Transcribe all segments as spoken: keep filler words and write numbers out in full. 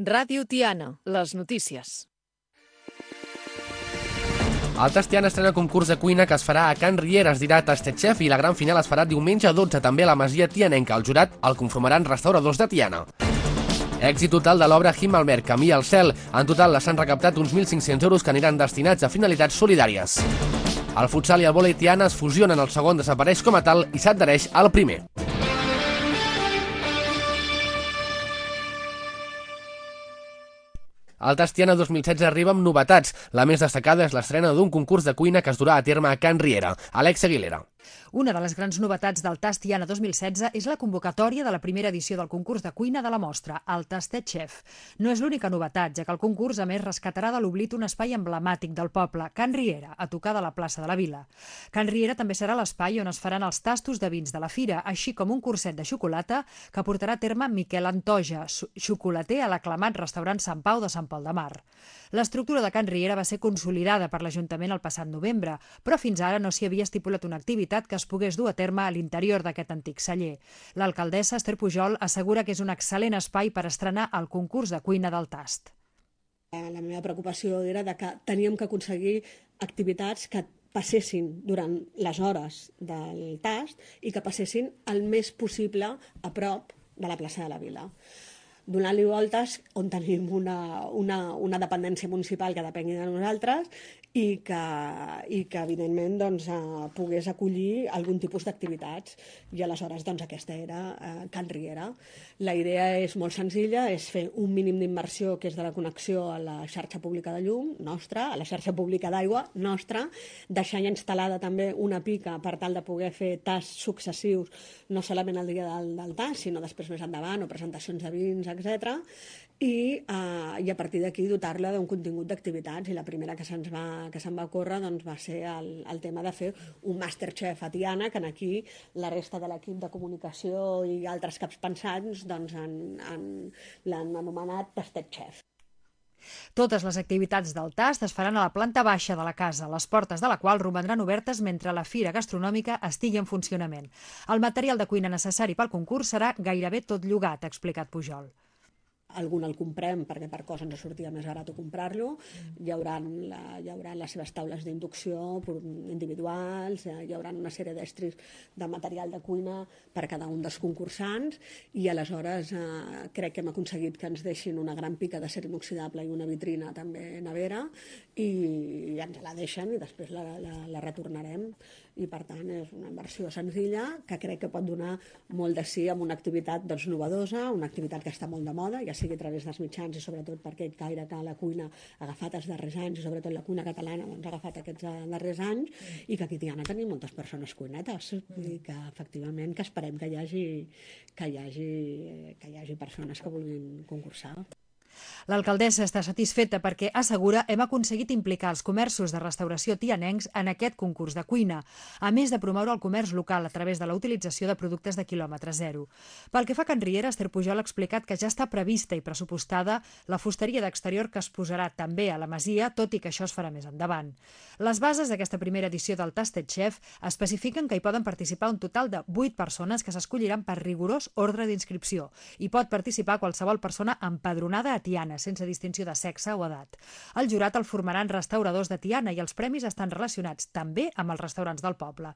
Ràdio Tiana, les notícies. El Tast Tiana estrena concurs de cuina que es farà a Can Riera, es dirà Tastechef, i la gran final es farà diumenge dotze també a la Masia Tianenca. El jurat el conformaran restauradors de Tiana. Èxit total de l'obra Himmelberg, Camí al cel. En total s'han recaptat uns mil cinc-cents euros que aniran destinats a finalitats solidàries. El futsal i el vòlei Tiana es fusionen, el segon desapareix com a tal i s'adhereix al primer. El Tast Tiana dos mil setze arriba amb novetats. La més destacada és l'estrena d'un concurs de cuina que es durà a terme a Can Riera. Alex Aguilera. Una de les grans novetats del Tast Tiana dos mil setze és la convocatòria de la primera edició del concurs de cuina de la mostra, el Tastechef. No és l'única novetat, ja que el concurs a més rescatarà de l'oblit un espai emblemàtic del poble, Can Riera, a tocar de la plaça de la Vila. Can Riera també serà l'espai on es faran els tastos de vins de la fira, així com un curset de xocolata que portarà a terme Miquel Antoja, xocolater a l'aclamat restaurant Sant Pau de Sant Pol de Mar. L'estructura de Can Riera va ser consolidada per l'Ajuntament el passat novembre, però fins ara no s'hi havia estipulat una activitat que es pogués dur a terme a l'interior d'aquest antic celler. L'alcaldessa Esther Pujol assegura que és un excel·lent espai per estrenar el concurs de cuina del Tast. La meva preocupació era de que teníem que aconseguir activitats que passessin durant les hores del Tast i que passessin el més possible a prop de la plaça de la Vila, donant-li voltes on tenim una, una, una dependència municipal que depengui de nosaltres i que, i que evidentment, doncs, eh, pogués acollir algun tipus d'activitats. I aleshores doncs, aquesta era eh, Can Riera. La idea és molt senzilla, és fer un mínim d'inversió que és de la connexió a la xarxa pública de llum nostra, a la xarxa pública d'aigua nostra, deixar ja instal·lada també una pica per tal de poder fer tasts successius, no solament el dia del, del tast, sinó després més endavant, o presentacions de vins, etcètera. I, eh, i a partir d'aquí dotar-la d'un contingut d'activitats, i la primera que se'ns va, que se'n va ocórrer doncs, va ser el, el tema de fer un Masterchef a Tiana, que aquí la resta de l'equip de comunicació i altres caps pensants doncs, han, han, l'han anomenat Tastechef. Totes les activitats del Tast es faran a la planta baixa de la casa, les portes de la qual romandran obertes mentre la fira gastronòmica estigui en funcionament. El material de cuina necessari pel concurs serà gairebé tot llogat, ha explicat Pujol. Algun el comprem perquè per cosa ens sortia més barat comprar-lo. Hi haurà, la, hi haurà les seves taules d'inducció individuals, hi haurà una sèrie d'estris de material de cuina per cada un dels concursants, i aleshores eh, crec que hem aconseguit que ens deixin una gran pica d'acer inoxidable i una vitrina també nevera, i, i ens la deixen i després la, la, la retornarem. I per tant és una inversió senzilla que crec que pot donar molt de sí amb una activitat doncs, novedosa, una activitat que està molt de moda, ja sigui a través dels mitjans i sobretot perquè gaire que la cuina ha agafat els darrers anys, i sobretot la cuina catalana doncs, ha agafat aquests darrers anys, i que aquí a Tiana tenim moltes persones cuinetes, i que efectivament que esperem que hi hagi, que hi hagi, que hi hagi persones que vulguin concursar. L'alcaldessa està satisfeta perquè, assegura, hem aconseguit implicar els comerços de restauració tianencs en aquest concurs de cuina, a més de promoure el comerç local a través de la utilització de productes de quilòmetre zero. Pel que fa a Can Riera, Esther Pujol ha explicat que ja està prevista i pressupostada la fusteria d'exterior que es posarà també a la masia, tot i que això es farà més endavant. Les bases d'aquesta primera edició del Tastechef especifiquen que hi poden participar un total de vuit persones que s'escolliran per rigorós ordre d'inscripció. Hi pot participar qualsevol persona empadronada a Tiana, sense distinció de sexe o edat. El jurat el formaran restauradors de Tiana i els premis estan relacionats també amb els restaurants del poble.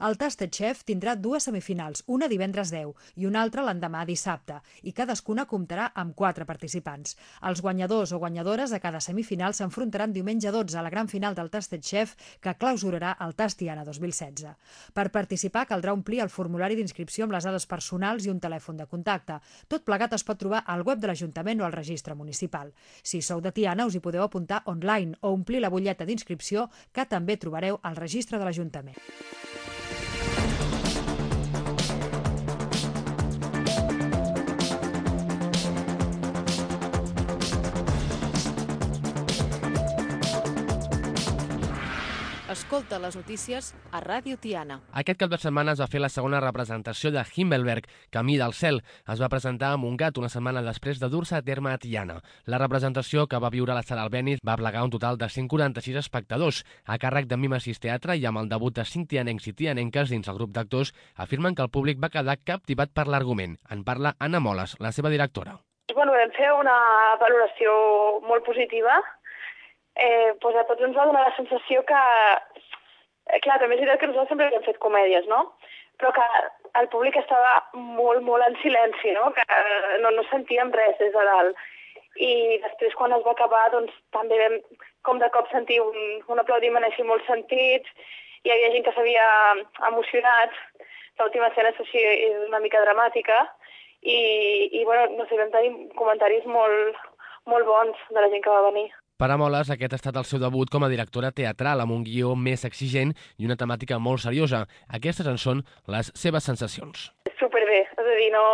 El Tastechef tindrà dues semifinals, una divendres deu i una altra l'endemà dissabte, i cadascuna comptarà amb quatre participants. Els guanyadors o guanyadores de cada semifinal s'enfrontaran diumenge dotze a la gran final del Tastechef, que clausurarà el Tast Tiana dos mil setze. Per participar caldrà omplir el formulari d'inscripció amb les dades personals i un telèfon de contacte. Tot plegat es pot trobar al web de l'Ajuntament o al registre municipal. Si sou de Tiana, us hi podeu apuntar online o omplir la butlleta d'inscripció, que també trobareu al registre de l'Ajuntament. Escolta les notícies a Ràdio Tiana. Aquest cap de setmana es va fer la segona representació de Himmelberg, Camí del cel. Es va presentar a Montgat una setmana després de dur-se a terme a Tiana. La representació, que va viure a la Sala Albéniz, va plegar un total de cent quaranta-sis espectadors. A càrrec de Mimesis Teatre i amb el debut de cinc tianencs i tianenques dins el grup d'actors, afirmen que el públic va quedar captivat per l'argument. En parla Anna Moles, la seva directora. Bueno, vam fer una valoració molt positiva. Eh, doncs a tots ens va donar la sensació que, eh, clar, també és veritat que nosaltres sempre hem fet comèdies, no? Però que el públic estava molt, molt en silenci, no? Que no, no sentíem res des de dalt. I després, quan es va acabar, doncs també vam com de cop sentir un, un aplaudiment així molt sentit. Hi havia gent que s'havia emocionat. L'última escena així és una mica dramàtica. I, i bueno, no sé, vam tenir comentaris molt, molt bons de la gent que va venir. Per a Moles, aquest ha estat el seu debut com a directora teatral, amb un guió més exigent i una temàtica molt seriosa. Aquestes en són les seves sensacions. Superbé, és a dir, no,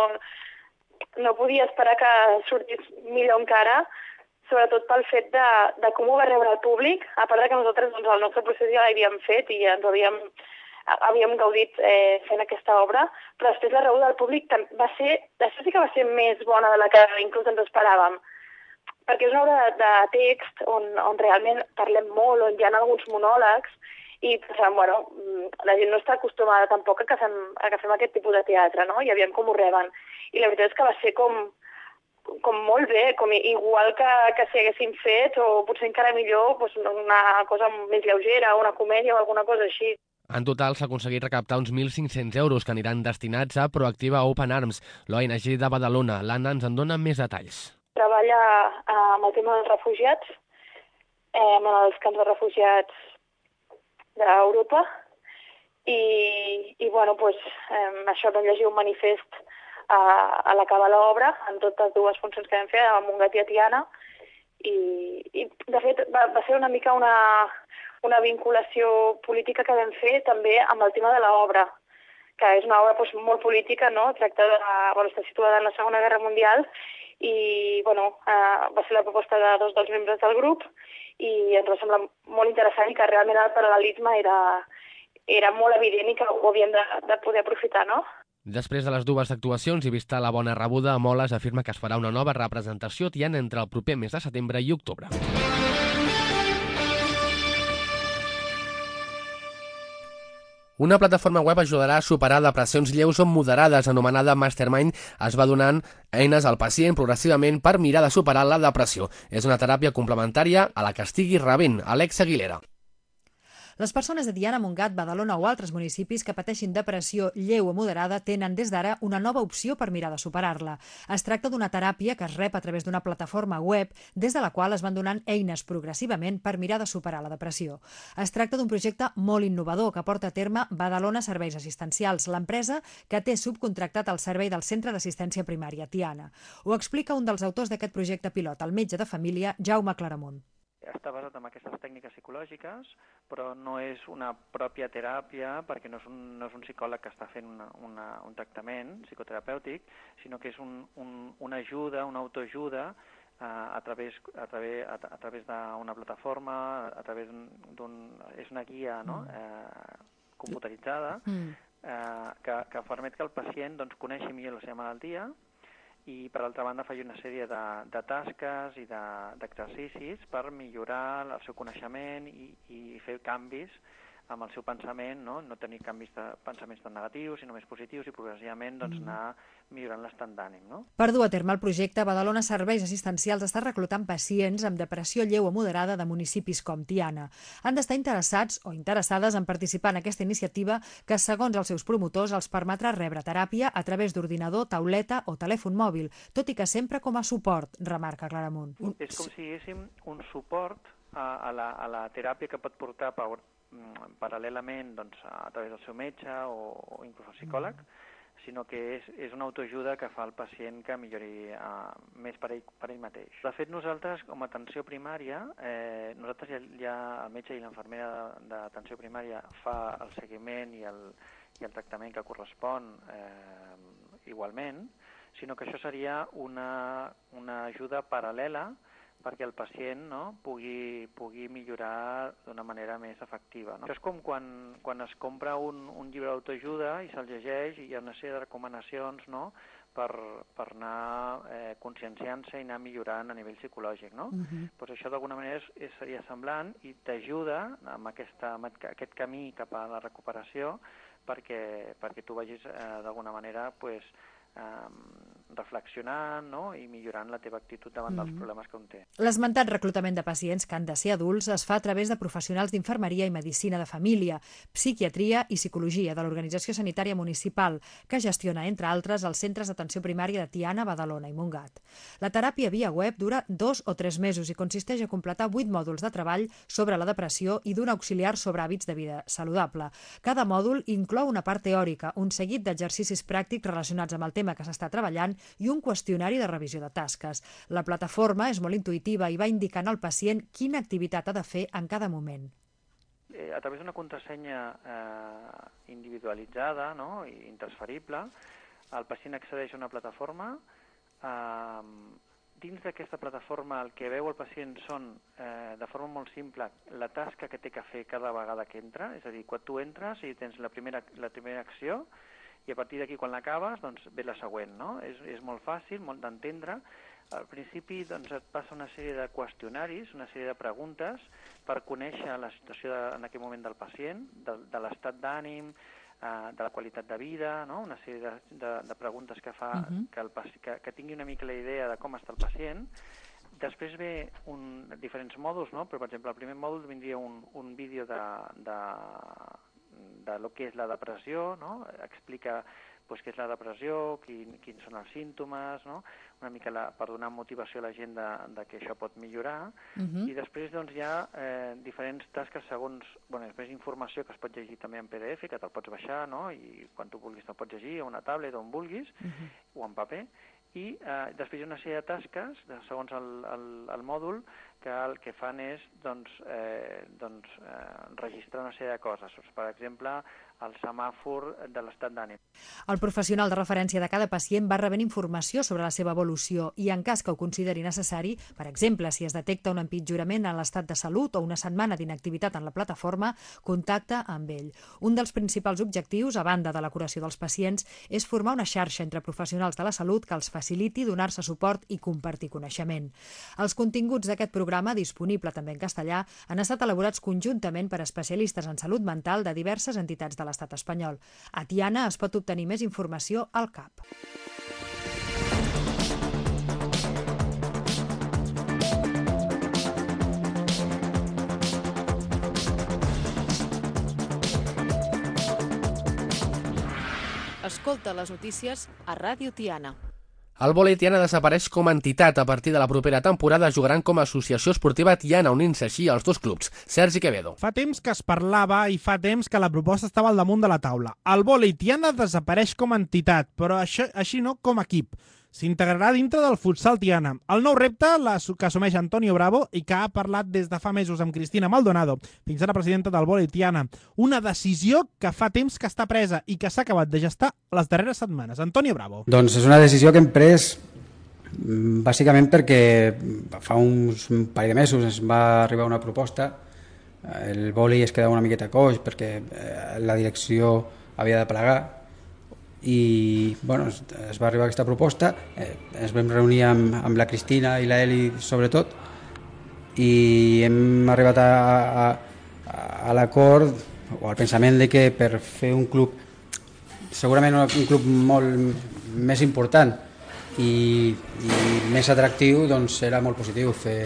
no podia esperar que sortís millor encara, sobretot pel fet de, de com ho va rebre el públic, a part de que nosaltres doncs, el nostre procés ja l'havíem fet i ens havíem, havíem gaudit eh, fent aquesta obra, però després la rebuda del públic va ser, això sí que va ser més bona de la que inclús ens esperàvem, perquè és una obra de, de text on, on realment parlem molt, on hi ha alguns monòlegs, i pensàvem, bueno, la gent no està acostumada tampoc a que fem, a que fem aquest tipus de teatre, no? I aviam com ho reben. I la veritat és que va ser com, com molt bé, com igual que, que si haguéssim fet, o potser encara millor, doncs una cosa més lleugera, una comèdia o alguna cosa així. En total s'ha aconseguit recaptar uns mil cinc-cents euros que aniran destinats a Proactiva Open Arms, l'O N G de Badalona. L'Anna ens en dona més detalls. Treballa amb el tema dels refugiats, eh, amb els camps de refugiats d'Europa, i, i bueno, doncs, eh, això vam llegir un manifest a, a l'acabar l'obra, en totes dues funcions que vam fer, a Montgat i a Tiana, i, i de fet va, va ser una mica una, una vinculació política que vam fer també amb el tema de l'obra, que és una obra doncs, molt política, no? Tracta de, bueno, està situada en la Segona Guerra Mundial, i bueno, eh, va ser la proposta de dos dels membres del grup i ens va semblar molt interessant i que realment el paral·lelisme era, era molt evident i que ho havíem de, de poder aprofitar, no? Després de les dues actuacions i vista la bona rebuda, Moles afirma que es farà una nova representació tiana entre el proper mes de setembre i octubre. Una plataforma web ajudarà a superar depressions lleus o moderades, anomenada Mastermind, es va donant eines al pacient progressivament per mirar de superar la depressió. És una teràpia complementària a la que estigui rebent. Alex Aguilera. Les persones de Tiana, Montgat, Badalona o altres municipis que pateixin depressió lleu o moderada tenen des d'ara una nova opció per mirar de superar-la. Es tracta d'una teràpia que es rep a través d'una plataforma web des de la qual es van donant eines progressivament per mirar de superar la depressió. Es tracta d'un projecte molt innovador que porta a terme Badalona Serveis Assistencials, l'empresa que té subcontractat el servei del Centre d'Assistència Primària Tiana. Ho explica un dels autors d'aquest projecte pilot, el metge de família Jaume Claramunt. Està basat en aquestes tècniques psicològiques, però no és una pròpia teràpia, perquè no és un, no és un psicòleg que està fent una, una, un tractament psicoterapèutic, sinó que és un, un, una ajuda, una autoajuda eh, a través, a través, a, a través d'una plataforma, a través d'un... és una guia, no? eh, computaritzada, eh, que, que permet que el pacient doncs, coneixi millor la seva malaltia, i per altra banda faig una sèrie de, de tasques i d'exercicis per millorar el seu coneixement i, i fer canvis amb el seu pensament, no, no tenir canvis de pensaments tan negatius, sinó més positius i progressivament doncs, anar millorant l'estat d'ànim. No? Per dur a terme el projecte, Badalona Serveis Assistencials està reclutant pacients amb depressió lleu o moderada de municipis com Tiana. Han d'estar interessats o interessades en participar en aquesta iniciativa que, segons els seus promotors, els permetrà rebre teràpia a través d'ordinador, tauleta o telèfon mòbil, tot i que sempre com a suport, remarca Claramunt. És com si diguéssim un suport a, a, la, a la teràpia que pot portar per paral·lelament doncs, a través del seu metge o, o inclús el psicòleg, sinó que és, és una autoajuda que fa el pacient que millori uh, més per ell, per ell mateix. De fet, nosaltres, com a atenció primària, eh, nosaltres ja, ja el metge i l'infermera d'atenció primària fa el seguiment i el, i el tractament que correspon eh, igualment, sinó que això seria una, una ajuda paral·lela perquè el pacient no, pugui, pugui millorar d'una manera més efectiva. No? Això és com quan, quan es compra un, un llibre d'autoajuda i se'l llegeix i hi ha una sèrie de recomanacions no, per, per anar eh, conscienciant-se i anar millorant a nivell psicològic. No? Uh-huh. Pues això d'alguna manera és, és, seria semblant i t'ajuda amb, aquesta, amb aquest camí cap a la recuperació perquè, perquè tu vagis eh, d'alguna manera pues, eh, reflexionant, no? I millorant la teva actitud davant dels problemes que un té. L'esmentat reclutament de pacients que han de ser adults es fa a través de professionals d'infermeria i medicina de família, psiquiatria i psicologia de l'Organització Sanitària Municipal, que gestiona, entre altres, els centres d'atenció primària de Tiana, Badalona i Montgat. La teràpia via web dura dos o tres mesos i consisteix a completar vuit mòduls de treball sobre la depressió i d'un auxiliar sobre hàbits de vida saludable. Cada mòdul inclou una part teòrica, un seguit d'exercicis pràctics relacionats amb el tema que s'està treballant i un qüestionari de revisió de tasques. La plataforma és molt intuïtiva i va indicant al pacient quina activitat ha de fer en cada moment. Eh, a través d'una contrasenya eh, individualitzada, no? I intransferible, el pacient accedeix a una plataforma. Eh, dins d'aquesta plataforma el que veu el pacient són, eh, de forma molt simple, la tasca que té que fer cada vegada que entra, és a dir, quan tu entres i tens la primera, la primera acció, i a partir d'aquí, quan l'acabes, doncs ve la següent, no? És, és molt fàcil, molt d'entendre. Al principi doncs, et passa una sèrie de qüestionaris, una sèrie de preguntes per conèixer la situació de, en aquell moment del pacient, de, de l'estat d'ànim, eh, de la qualitat de vida, no? Una sèrie de, de, de preguntes que fa uh-huh. que, el, que, que tingui una mica la idea de com està el pacient. Després ve un, diferents mòduls, no? Però, per exemple, el primer mòdul vindria un, un vídeo de... de de lo que és la depressió, no? Explica pues, què és la depressió, quin, quins són els símptomes, no? Una mica la, per donar motivació a la gent de, de que això pot millorar. Uh-huh. I després doncs, hi ha eh, diferents tasques segons, bueno, després informació que es pot llegir també en P D F, que te'l pots baixar, no? I quan tu vulguis te'l pots llegir a una tablet on vulguis, uh-huh. o en paper. I eh, després hi ha una sèrie de tasques, de, segons el, el, el mòdul, que el que fan és doncs, eh, doncs, eh, registrar una sèrie de coses. Per exemple, el semàfor de l'estat d'ànim. El professional de referència de cada pacient va rebent informació sobre la seva evolució i, en cas que ho consideri necessari, per exemple, si es detecta un empitjorament en l'estat de salut o una setmana d'inactivitat en la plataforma, contacta amb ell. Un dels principals objectius, a banda de la curació dels pacients, és formar una xarxa entre professionals de la salut que els faciliti donar-se suport i compartir coneixement. Els continguts d'aquest programa, disponible també en castellà, han estat elaborats conjuntament per especialistes en salut mental de diverses entitats de l'estat espanyol. A Tiana es pot obtenir més informació al C A P. Escolta les notícies a Ràdio Tiana. El vòlei Tiana desapareix com a entitat. A partir de la propera temporada jugaran com a associació esportiva Tiana, unint-se així als dos clubs. Sergi Quevedo. Fa temps que es parlava i fa temps que la proposta estava al damunt de la taula. El vòlei Tiana desapareix com a entitat, però això, així no com a equip. S'integrarà dintre del futsal Tiana. El nou repte que assumeix Antonio Bravo i que ha parlat des de fa mesos amb Cristina Maldonado, fins ara presidenta del vòlei Tiana. Una decisió que fa temps que està presa i que s'ha acabat de gestar les darreres setmanes. Antonio Bravo. Doncs és una decisió que hem pres bàsicament perquè fa uns un parell de mesos ens va arribar una proposta. El vòlei es quedava una miqueta coix perquè la direcció havia de plegar. I bueno, es, es va arribar aquesta proposta, eh, ens vam reunir amb, amb la Cristina i la Eli sobretot i hem arribat a, a, a l'acord o al pensament de que per fer un club, segurament un club molt més important i, i més atractiu, doncs serà molt positiu fer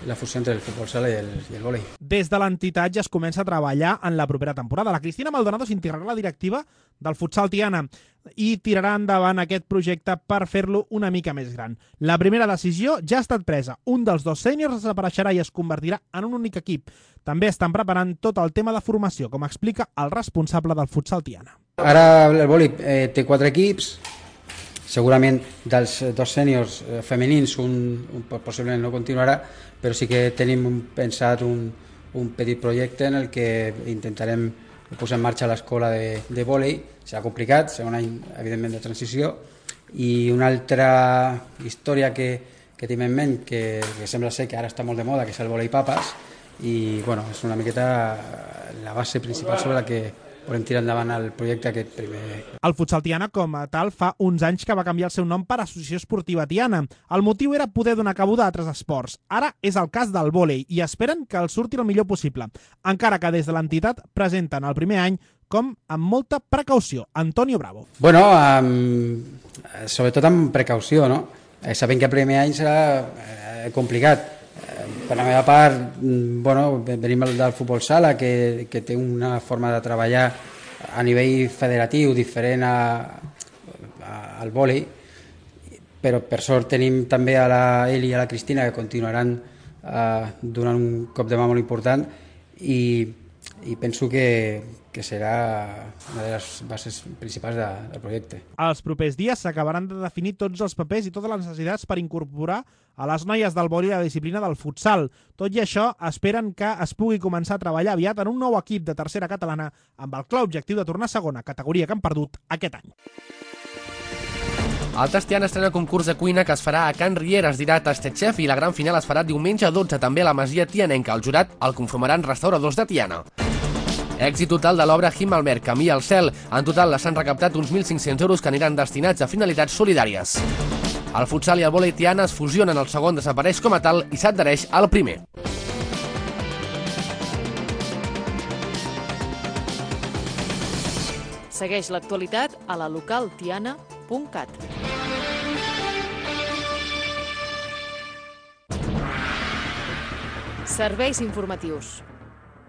la fusió entre el futbol sala i el, i el vòlei. Des de l'entitat ja es comença a treballar en la propera temporada. La Cristina Maldonado s'integrarà a la directiva del futsal Tiana i tirarà endavant aquest projecte per fer-lo una mica més gran. La primera decisió ja ha estat presa. Un dels dos sèniors desapareixerà i es convertirà en un únic equip. També estan preparant tot el tema de formació, com explica el responsable del futsal Tiana. Ara el vòlei eh, té quatre equips. Segurament dels dos sèniors femenins un, un possiblement no continuarà, però sí que tenim pensat un, un petit projecte en el que intentarem posar en marxa l'escola de, de vòlei. Serà complicat, serà un any evidentment de transició, i una altra història que, que tenim en ment, que, que sembla ser que ara està molt de moda, que és el vòlei papes, i bueno, és una miqueta la base principal sobre la que volem tirar endavant el projecte aquest primer. El futsal Tiana, com a tal, fa uns anys que va canviar el seu nom per Associació Esportiva Tiana. El motiu era poder donar cabuda a altres esports. Ara és el cas del vòlei i esperen que el surti el millor possible, encara que des de l'entitat presenten el primer any com amb molta precaució. Antonio Bravo. Bueno, um, sobretot amb precaució, no? Eh, sabent que el primer any serà eh, complicat. Eh, per la meva part, bueno, venim del futbol sala, que, que té una forma de treballar a nivell federatiu diferent a, a, al vòlei, però per sort tenim també a la Eli i a la Cristina que continuaran eh, donant un cop de mà molt important i, i penso que, que serà una de les bases principals de, del projecte. Els propers dies s'acabaran de definir tots els papers i totes les necessitats per incorporar a les noies del vòlei la disciplina del futsal. Tot i això, esperen que es pugui començar a treballar aviat en un nou equip de tercera catalana amb el clar objectiu de tornar a segona, categoria que han perdut aquest any. El Tiana estrena concurs de cuina que es farà a Can Riera, es dirà Tastechef, i la gran final es farà diumenge dotze també a la Masia Tianenca. El jurat el conformaran restauradors de Tiana. Èxit total de l'obra Himmelberg, Camí al cel. En total s'han recaptat uns mil cinc-cents euros que aniran destinats a finalitats solidàries. El futsal i el vòlei Tiana es fusionen, el segon desapareix com a tal i s'adhereix al primer. Segueix l'actualitat a la local tiana punt cat. Serveis informatius.